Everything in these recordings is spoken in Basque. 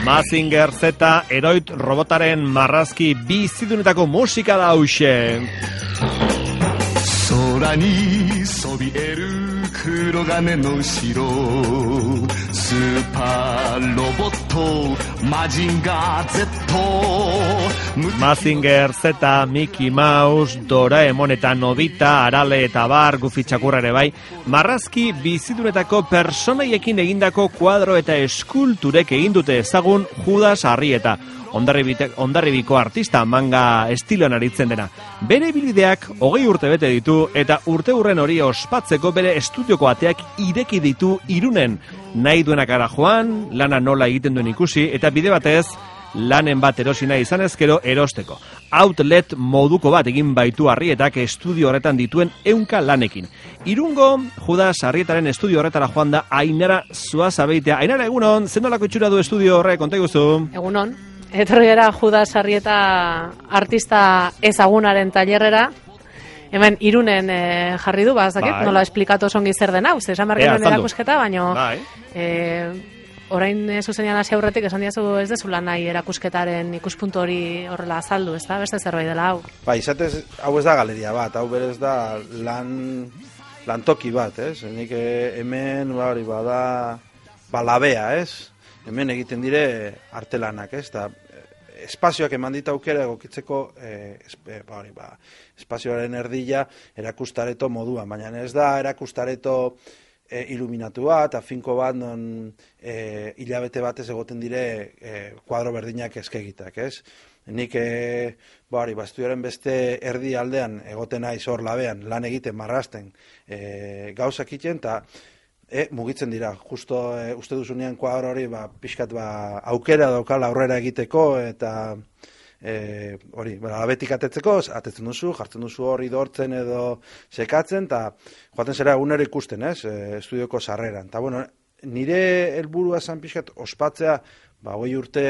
Mazinger Z, Eroit robotaren marrazki bizidunetako musika da hauxe. 空にそびえる黒金の城スーパーロボットマジンガー Z Mazinger Z, Mickey Mouse, Doraemon eta Nobita, Arale eta Bar, Goofy txakurra ere bai, marrazki bizidunetako personaiekin egindako kuadro eta eskulturek egin dute ezagun Judas Arrieta, Hondarribiko artista manga estiloan aritzen dena. Bere ibilbideak 20 urte bete ditu eta urteurren hori ospatzeko bere estudioko ateak ireki ditu Irunen. Nahi duenak ara joan, lana nola egiten duen ikusi eta bide batez lanen bat erosi nahi izan ezkero erosteko. Outlet moduko bat egin baitu Arrietak estudio horretan dituen 100 lanekin. Irungo Judas Arrietaren estudio horretara joan da Ainara Zuazabeitea. Ainara, egunon, zenolako itxura du estudio horre, konta iguzu? Egunon. Etorri gara Judas Arrieta artista ezagunaren tailerrera. Hemen Irunen jarri du, bazakit, nola esplikatu songi zer den hau, esan bergen erakusketa, baino orain zuzenean hasi aurretik esan diazu ez dezula nahi erakusketaren ikuspuntu hori horrela azaldu, ez da, beste zerbait dela hau. Izatez, hau ez da galeria bat, hau berez da lantoki bat, ez? Nik hemen, bada labea, ez? Hemen egiten dire artelanak, ez? Espazioak eman dit aukera egokitzeko espazioaren erdila erakustareto moduan, baina ez da erakustareto iluminatu bat, finko bat, non hilabete batez egoten dire kuadro berdinak eskegitak, ez? Nik estudioaren beste erdi aldean egoten naiz hor labean, lan egiten, marrasten, gauzak iten, eta mugitzen dira, justo uste duzunean kuadro hori pixkat aukera daukala aurrera egiteko, eta hori, abetik atetzeko, atetzen duzu, jartzen duzu hori dortzen edo sekatzen, eta joaten zera egunero ikusten, ez, estudioko sarreran. Eta, bueno, nire helburua zan pixkat ospatzea, 20 urte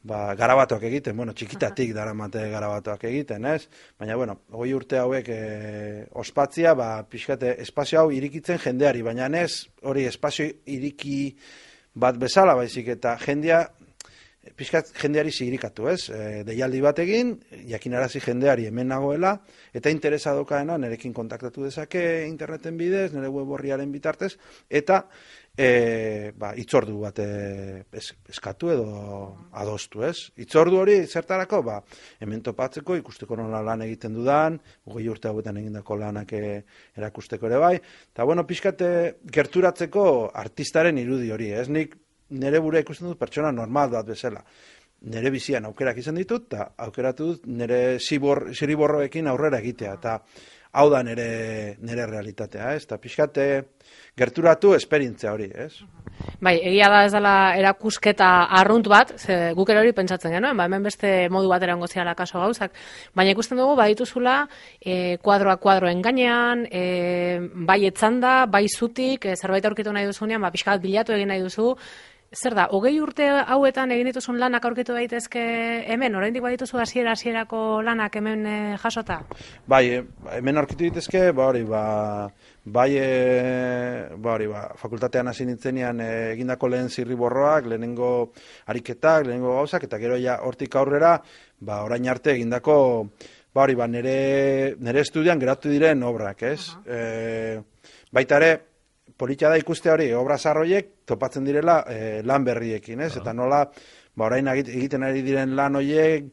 garabatoak egiten, bueno, txikitatik daramate garabatoak egiten, ez? Baina, bueno, 20 urte hauek ospatzia, pixkat espazio hau irikitzen jendeari, baina ez hori espazio iriki bat bezala, baizik, eta pixkat jendeari zirikatu, ez? Deialdi bat egin, jakinarazi jendeari hemen nagoela, eta interesa dokaena nerekin kontaktatu dezake interneten bidez, nire web orriaren bitartez, eta itzordu bat eskatu edo adostu, ez? Itzordu hori zertarako, hemen topatzeko, ikusteko nola lan egiten dudan, 20 urte hauetan egindako lanak erakusteko ere bai, eta bueno, pixkat gerturatzeko artistaren irudi hori, ez? Nik nire bure ikusten dut pertsona normal bat bezala. Nire bizian aukerak izan ditut, eta aukeratu dut nire ziriborroekin aurrera egitea, eta hau da nire realitatea, ez? Eta pixkat gerturatu esperientzia hori, ez? Bai, egia da ez dela erakusketa arrunt bat, guk ere hori pentsatzen genuen, hemen beste modu batera ongo ziala kaso gauzak, baina ikusten dugu, dituzula kuadroen gainean, bai etzanda, bai zutik, zerbait aurkitu nahi duzunean, pixkat bilatu egin nahi duzu. Zer da, 20 urte hauetan egin dituzun lanak aurkitu daitezke hemen, oraindik badituzu hasierako lanak hemen jasota? Bai, hemen aurkitu daitezke, fakultatean hasi nintzenean egindako lehen zirriborroak, lehenengo ariketak, lehenengo gauzak, eta gero ja hortik aurrera, orain arte egindako, nire estudian geratu diren obrak, ez? Baita ere, politia da ikuste hori, obra zarroiek topatzen direla lan berriekin, ez? Eta nola, orain egiten ari diren lan horiek,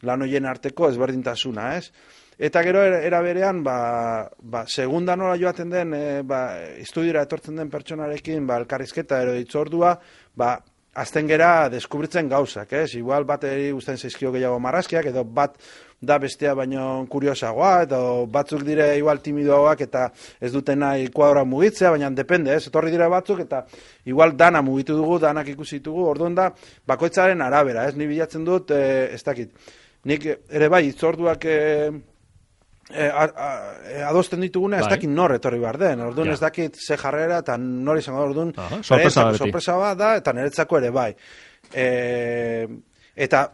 lan horien arteko ezberdintasuna, ez? Eta gero era berean, segunda nola joaten den, estudiora etortzen den pertsonarekin, elkarrizketa ero ditzordua, azten gera deskubritzen gauzak, ez? Igual bateri guztien zaizkio gehiago marrazkiak, edo bat da bestea baino kuriosagoa, edo batzuk dire igual timidoagoak eta ez duten nahi kuadroa mugitzea, baina depende, ez? Etorri dire batzuk eta igual dana mugitu dugu, danak ikusi ditugu, orduan da, bakoitzaren arabera, ez? Ni bilatzen dut, ez dakit. Nik ere bai, itzorduak adosten dituguna, ez dakit nor etorri behar den, orduan ez dakit ze jarrera eta nor izango da, orduan sorpresa bat da, eta niretzako ere bai. Eta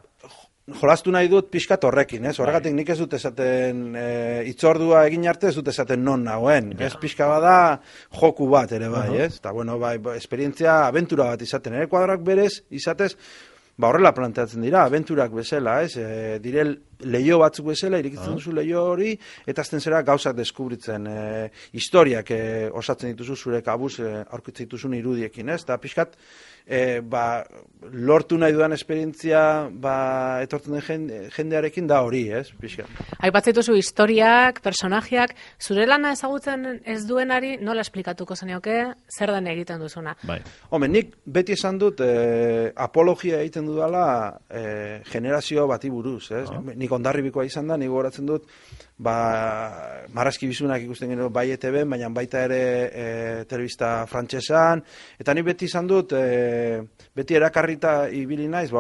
jolastu nahi dut pixkat horrekin, ez? Horregatik nik ez dut esaten itzordua egin arte ez dut esaten non nagoen. Ez pixka bada joku bat ere bai, ez? Eta bueno, bai, esperientzia abentura bat izaten. Ere kuadroak berez izatez, horrela planteatzen dira, abenturak bezala, ez? Dire leio batzuk bezala, irikitzen duzu leio hori, eta azten zera gauzak deskubritzen. Historiak osatzen dituzu zure kabuz aurkitzen dituzun irudiekin, ez? Eta pixkat, lortu nahi dudan esperientzia etortzen den jendearekin da hori, ez? Pixkat. Aipatzen dituzu historiak, personajeak, zure lana ezagutzen ez duenari nola esplikatuko zenioke zer den egiten duzuna? Bai. Hombre, nik beti esan dut apologia egiten dudala generazio bati buruz, ez? Nik Hondarribikoa izan da, nik gogoratzen dut, Marrazki Bizunak ikusten gero bai ETV-en, baina baita ere telebista frantsesan, eta nik beti izan dut, beti erakarrita ibili naiz,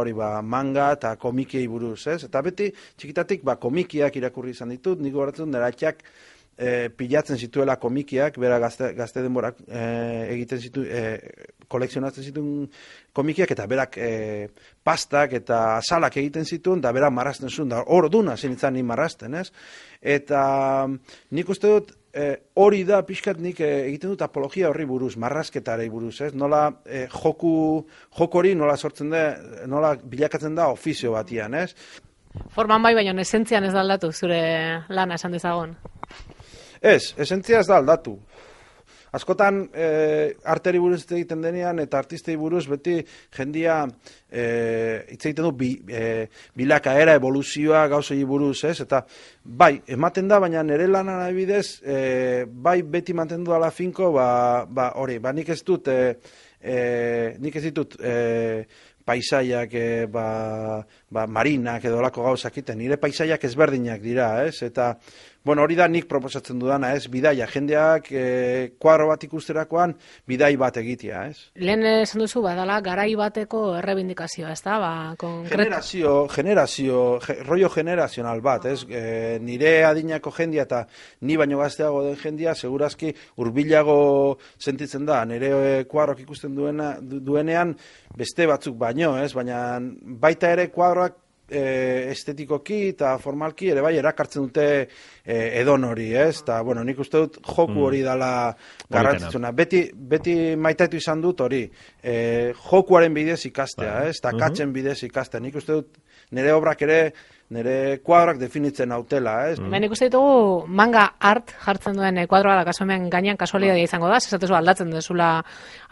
manga eta komikiei buruz, ez? Eta beti txikitatik komikiak irakurri izan ditut, nik gogoratzen dut, neratxak pilatzen zituela komikiak, bera gazte denborak egiten kolekzionatzen zituen komikiak, eta berak pastak eta azalak egiten zituen, da berak marrazten zuen, da hor duna zenitzen ni marrazten, ez? Eta nik uste dut, hori da pixkat nik egiten dut apologia horri buruz, marrazketarei buruz, ez? Nola joko hori nola sortzen da, nola bilakatzen da ofizio batian, ez? Forman bai, baina esentzian ez da aldatu zure lana esan dezagon. Ez, esentzia ez da aldatu. Askotan arteri buruz egiten denean eta artistei buruz beti jendia hitz egiten du bilakaera, evoluzioa, gauzei buruz, ez? Eta bai, ematen da, baina nire lanan adibidez, bai beti mantendu dala finko, hori, nik ez ditut paisaiak, marinak edo lako gauzak iten, nire paisaiak ezberdinak dira, ez? Eta, bueno, hori da nik proposatzen dudana, ez? Bidaia, jendeak kuadro bat ikusterakoan bidai bat egitea, ez? Lehen esan duzu, badala garai bateko errebindikazioa, ez da? Generazio, rollo generazional bat, ez? Nire adinako jendia eta ni baino gazteago den jendia, segurazki hurbilago sentitzen da, nire kuadroak ikusten duenean beste batzuk baino, ez? Baina baita ere kuadroak estetikoki eta formalki ere bai erakartzen dute edon hori, ez? Eta, bueno, nik uste dut joku hori dala garrantzitsuna. Beti maitatu izan dut hori, jokuaren bidez ikastea, ez? Eta katzen bidez ikastea. Nik uste dut nire obrak ere, nire kuadroak definitzen hautela, ez? Hemen ikusten ditugu manga art jartzen duen kuadroa da, kasu hemen gainean kasualitatea izango da, esatezu aldatzen dezula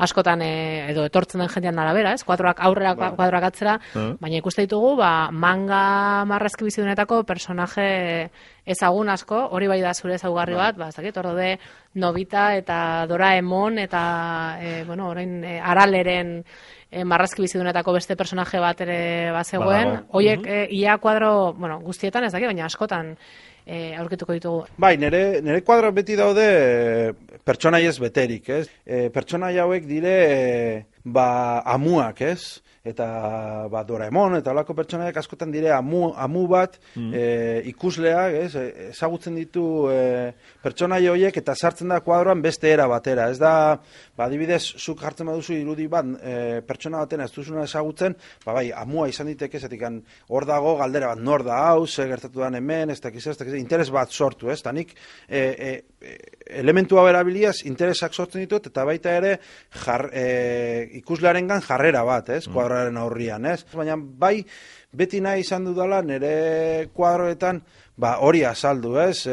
askotan edo etortzen den jendean arabera, ez? Kuadroak aurrera, kuadroak atzera, baina ikusten ditugu manga Marrazki Bizidunetako personaje ezagun asko, hori bai da zure ezaugarri bat, ez dakit, hor daude Nobita eta Doraemon eta orain Araleren Marrazki Bizidunetako beste personaje bat ere bazegoen, horiek ia kuadro, guztietan ez dakit, baina askotan aurkituko ditugu. Bai, nire kuadroak beti daude pertsonaiez beterik, ez? Pertsonai hauek dire amuak, ez? Eta Doraemon eta holako pertsonaiak askotan dire amu bat ikusleak, ez? Ezagutzen ditu pertsonai horiek eta sartzen da kuadroan beste era batera. Ez da, adibidez, zuk jartzen baduzu irudi bat pertsona baten ez duzuna ezagutzen, bai, amua izan diteke, zetik hor dago galdera bat, nor da hau, ze gertatu dan hemen, ez dakiz, interes bat sortu, ez? Eta nik elementu hau erabiliaz interesak sortzen ditut, eta baita ere ikuslearengan jarrera bat, ez? Kuadroaren aurrian, ez? Baina bai, beti nahi izan dudala nire kuadroetan hori azaldu, ez?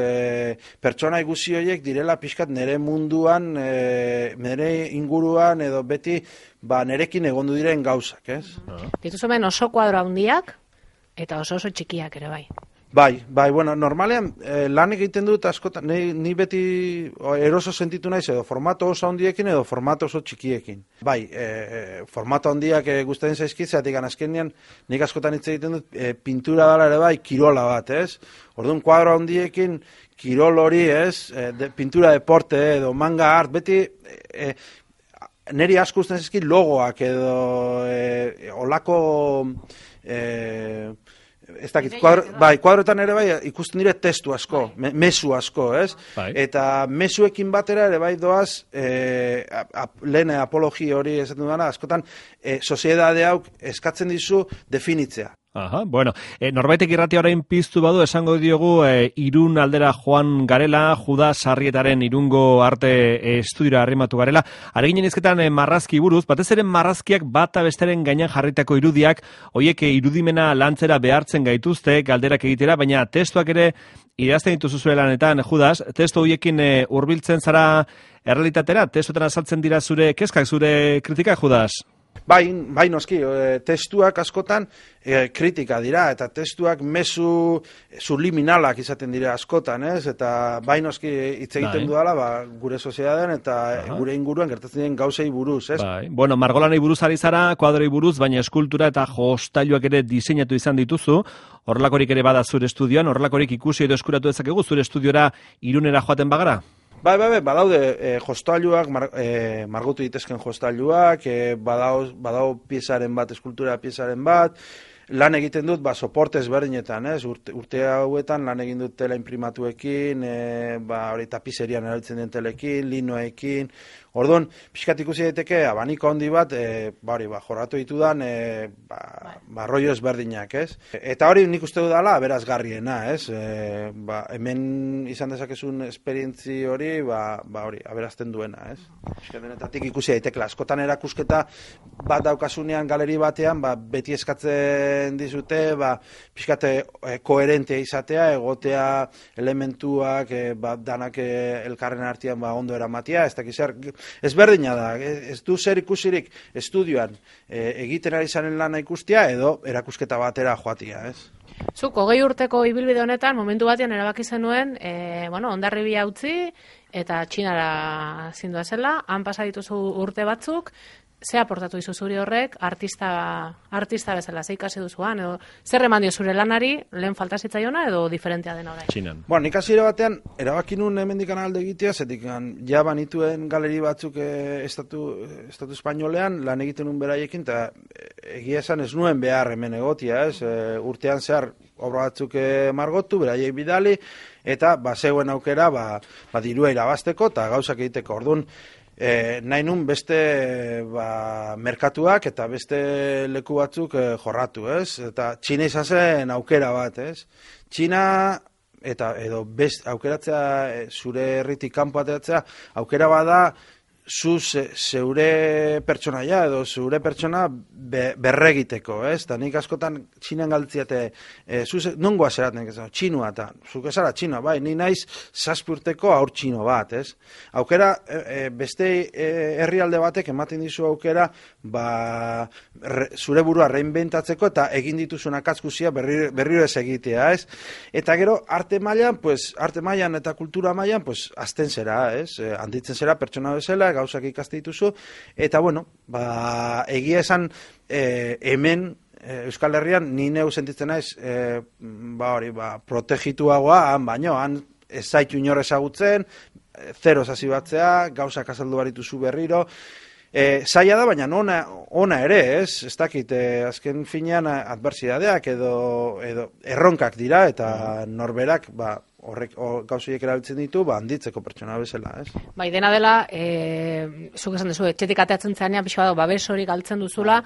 Pertsona guzi horiek direla pixkat nire munduan, nire inguruan, edo beti nirekin egondu diren gauzak, ez? Dituzu hemen oso kuadro handiak eta oso txikiak ere bai. Bai, bueno, normalean lan egiten dut askotan, ni beti eroso sentitu naiz edo formato oso handiekin edo formato oso txikiekin. Bai, formato handiak gustatzen zaizkit, zeatik azkenean nik askotan hitz egiten dut pintura dela ere bai, kirola bat, ez? Orduan kuadro handiekin kirol hori, ez? Pintura deporte edo manga art, beti niri asko gustatzen zaizkit logoak edo olako ez dakit, kuadroetan ere bai ikusten dire testu asko, mezu asko, ez? Eta mezuekin batera ere bai doaz, lehen apologi hori esaten dudana, askotan, soziedade hau eskatzen dizu definitzea. Aha, bueno, norbaitek irratia orain piztu badu esango diogu Irun aldera joan garela, Juda Sarrietaren Irungo arte estudiora arrimatu garela. Areginen izketan marrazki buruz, batez ere marrazkiak bata besteren gainean jarritako irudiak, hoiek irudimena lantzera behartzen gaituzte, galderak egitera, baina testuak ere idazten dituzu zure lanetan, Judas, testu horiekin hurbiltzen zara errealitatera, testuetan azaltzen dira zure kezkak, zure kritikak, Judas? Bai noski, testuak askotan kritika dira, eta testuak mezu subliminalak izaten dira askotan, ez? Eta bai noski hitz egiten dudala, gure sozietatean eta gure inguruan gertatzen den gauzei buruz, ez? Bai. Bueno, margolanei buruz ari zara, kuadroi buruz, baina eskultura eta jostailuak ere diseinatu izan dituzu, horrelakorik ere bada zure estudioan, horrelakorik ikusi edo eskuratu dezakegu zure estudiora Irunera joaten bagara? Bai, badaude jostailuak, margotu ditezken jostailuak, badau piezaren bat, eskultura piezaren bat, lan egiten dut, soporte ezberdinetan, ez? Urte hauetan lan egin dut tela imprimatuekin, tapizerian erabiltzen den telekin, linoekin. Orduan, pixkat ikusi daiteke abaniko handi bat, jorratu ditudan, rollo ezberdinak, ez? Eta hori nik uste dudala aberazgarriena, ez? Hemen izan dezakezun esperientzi hori, hori, aberazten duena, ez? Pixkat denetatik ikusi daitekela. Askotan erakusketa bat daukasunean galeri batean, beti eskatzen dizute, pixkat koherentea izatea, egotea elementuak, danak elkarren artean ondo eramatia, ez dakizar, ezberdina da, ez du zer ikusirik estudioan egiten ari zaren lana ikustia edo erakusketa batera joatia, ez? Zuk, 20 urteko ibilbide honetan, momentu batean erabaki zenuen, Hondarribia utzi eta Txinara zindua zela, han pasa dituzu urte batzuk, ze aportatu izu zuri horrek artista bezala, ze ikasi duzuan, edo zer eman dio zure lanari, lehen falta zitzaiona edo diferentea dena orain? Txinan. Bueno, nik hasiera batean erabaki nun hemendik alde egitea, zetik ja banituen galeri batzuk estatu espainolean lan egiten nun beraiekin, eta egia esan ez nuen behar hemen egotia, ez? Urtean zehar obra batzuk margotu, beraiek bidali, eta zegoen aukera dirua irabazteko eta gauzak egiteko. Orduan, nahi nun beste merkatuak eta beste leku batzuk jorratu, ez? Eta Txina izan zen aukera bat, ez? Txina edo best aukeratzea zure herritik kanpo ateratzea aukera bada zeure pertsonaia edo zeure pertsona berregiteko, ez? Eta nik askotan Txinan galditziate, nongoa zeraten, txinua, eta zuk ezara txinua, bai, ni naiz 7 urteko haur txino bat, ez? Aukera, beste herrialde batek ematen dizu aukera, zure burua reinventatzeko eta egin dituzun akatzkuzia berriro ez egitea, ez? Eta gero, arte mailan eta kultura mailan, azten zera, ez? Handitzen zera pertsona bezala, gauzak ikaste dituzu, eta bueno, egia esan hemen Euskal Herrian ni neu sentitzen naiz protegituagoa, baino, han ez zaitu inor ezagutzen, zero hasi batzea, gauzak azaldu barituzu berriro, zaila da, baina ona ere, ez dakit, azken finean adversidadeak edo erronkak dira, eta norberak, horrek gauzoiek erabiltzen ditu, handitzeko pertsona bezala, ez? Bai, dena dela, zuk esan duzu, etxetik ateatzen zenean, pixo bat, babes hori galtzen duzula,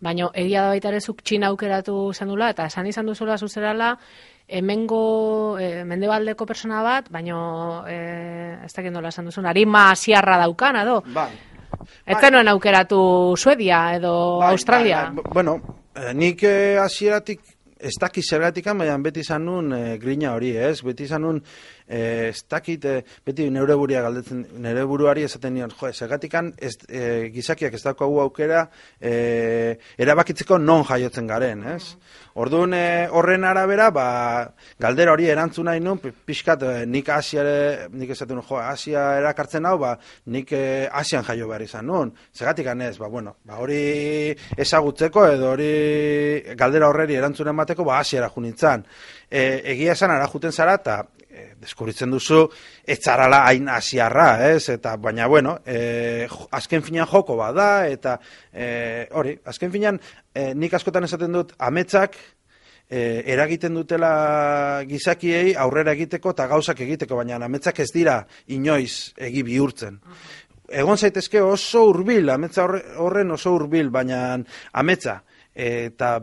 baina egia da baita ere zuk Txina aukeratu zen dula, eta esan izan duzula zuzerala, hemengo mendebaldeko persona bat, baina ez dakit nola esan duzun, arima asiarra daukan, edo? Bai. Ez zenuen aukeratu Suedia edo Australia? Bueno, nik hasieratik ez dakit zergatikan, baina beti izan nun grina hori, ez? Beti izan nun, ez dakit, beti neure buruari esaten nion, zergatikan gizakiak ez daukagu aukera erabakitzeko non jaiotzen garen, ez? Orduan horren arabera, galdera hori erantzun nahi nun, pixkat nik esaten nun, Asia erakartzen hau, nik Asian jaio behar izan nun. Zergatikan ez, hori ezagutzeko edo hori galdera horreri erantzunen bateko, Asiara junintzan. Egia esan ara juten zara, eta deskubritzen duzu, ez zarala hain asiarra, ez? Eta, baina, bueno, azken finean joko bada, eta hori, azken finean nik askotan esaten dut, ametsak eragiten dutela gizakiei aurrera egiteko eta gauzak egiteko, baina ametsak ez dira inoiz egi bihurtzen. Egon zaitezke oso hurbil, ametsa horren oso hurbil, baina ametsa eta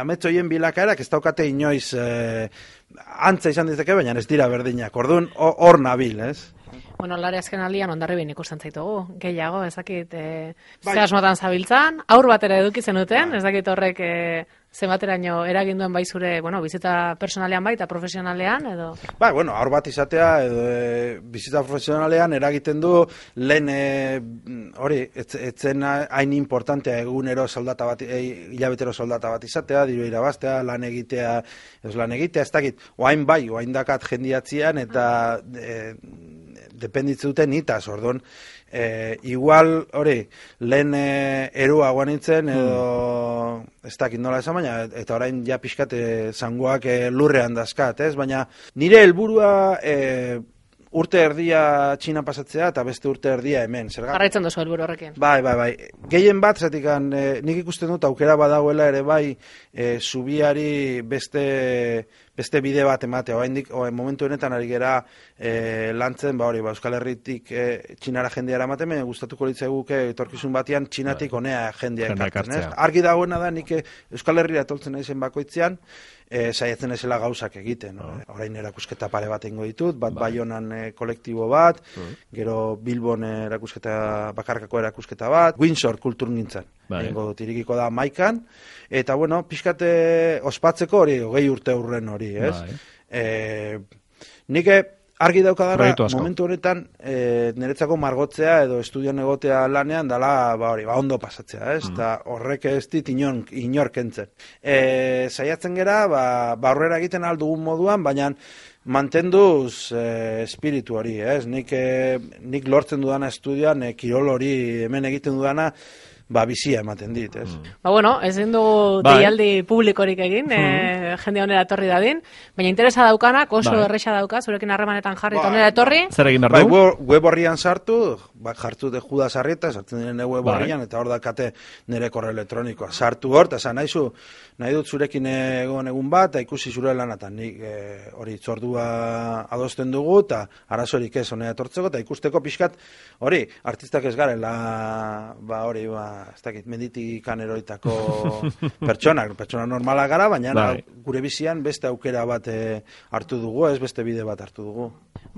amets hoien bilakaerak ez daukate inoiz antza izan diteke, baina ez dira berdinak. Orduan, hor nabil, ez? Bueno, Lare azken aldian ondarribin ikusten zaitugu, gehiago, ez dakit, ze asmotan zabiltzan, aur batera eduki zenuten, ez dakit horrek zenbateraino eraginduen bai zure, bizita personalean bai eta profesionalean, edo? Bai, aur bat izatea, edo bizita profesionalean eragiten du lehen, hori, etzen hain importantea egunero soldata bat, hilabetero soldata bat izatea, diru irabaztea, lan egitea, ez dakit, oain bai, oain dakat jendiatzean, eta dependitzen duten itaz, orduan, igual, hori, lehen erua guanitzen, edo, ez dakit nola esan, baina, eta orain ja pixkat zangoak lurrean dazkat, ez? Baina nire helburua urte erdia Txina pasatzea eta beste urte erdia hemen. Jarraitzen duzu helburu horrekin. Bai. Gehien bat, zatik, nik ikusten dut aukera badagoela ere bai zubiari beste bide bat ematea. Momentu honetan ari gera lantzen, Euskal Herritik Txinara jendeara ematen, gustatuko litzaiguke etorkizun batean Txinatik honea jendea ekartzen. Argi dagoena da, nik Euskal Herrira toltzen naizen bakoitzean, saiatzen ezela gauzak egiten. Orain erakusketa pare bat eingo ditut, bat Baionan kolektibo bat, gero Bilbon bakarkako erakusketa bat, Windsor kulturgintzan. Eingo dut, irikiko da Maikan, eta pixkat ospatzeko hori, 20 urte urren hori, ez? Nik argi daukadarra, momentu honetan, niretzako margotzea edo estudioan egotea lanean, dala, ondo pasatzea, ez? Eta horrek ez dit inor kentzen. Saiatzen gera, aurrera egiten aldugun moduan, baina mantenduz espiritu hori, ez? Nik lortzen dudana estudioan, kirol hori hemen egiten dudana, bizia ematen dit, ez? Ezin dugu deialdi publikorik egin, jende honera etorri dadin, baina interesa daukanak, oso erresa dauka, zurekin harremanetan jarri eta honera etorri. Zer egin behar du? Web horrian sartu, jartu de Judas Arrieta, sartzen diren web horrian, eta hor dakate nire korreo elektronikoa. Sartu hor, eta esan nahi dut zurekin egun bat, eta ikusi zure lanatan, nik hori itzordua adosten dugu, eta arazorik ez honera etortzeko, eta ikusteko pixkat, hori, artistak ez garela, ez dakit, menditikan eroitako pertsona normala gara, baina gure bizian beste aukera bat hartu dugu, ez beste bide bat hartu dugu.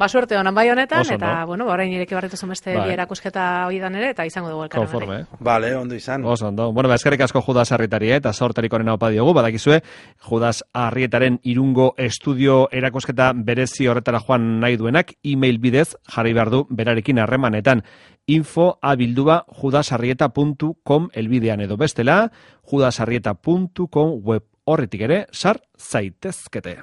Suerte honan bai honetan, eta, orain ireki barretuzun beste erakusketa hoidan ere, eta izango dugu elkarren. Konforme, Bale, ondo izan. Oso, ondo. Eskerrik asko Judas Arrietari, eta sortarik onena opa diogu, badakizue, Judas Arrietaren Irungo estudio erakusketa berezi horretara joan nahi duenak, e-mail bidez jarri behar du berarekin harremanetan. info@judasarrieta.com elbidean edo bestela, judasarrieta.com web horretik ere sar zaitezkete.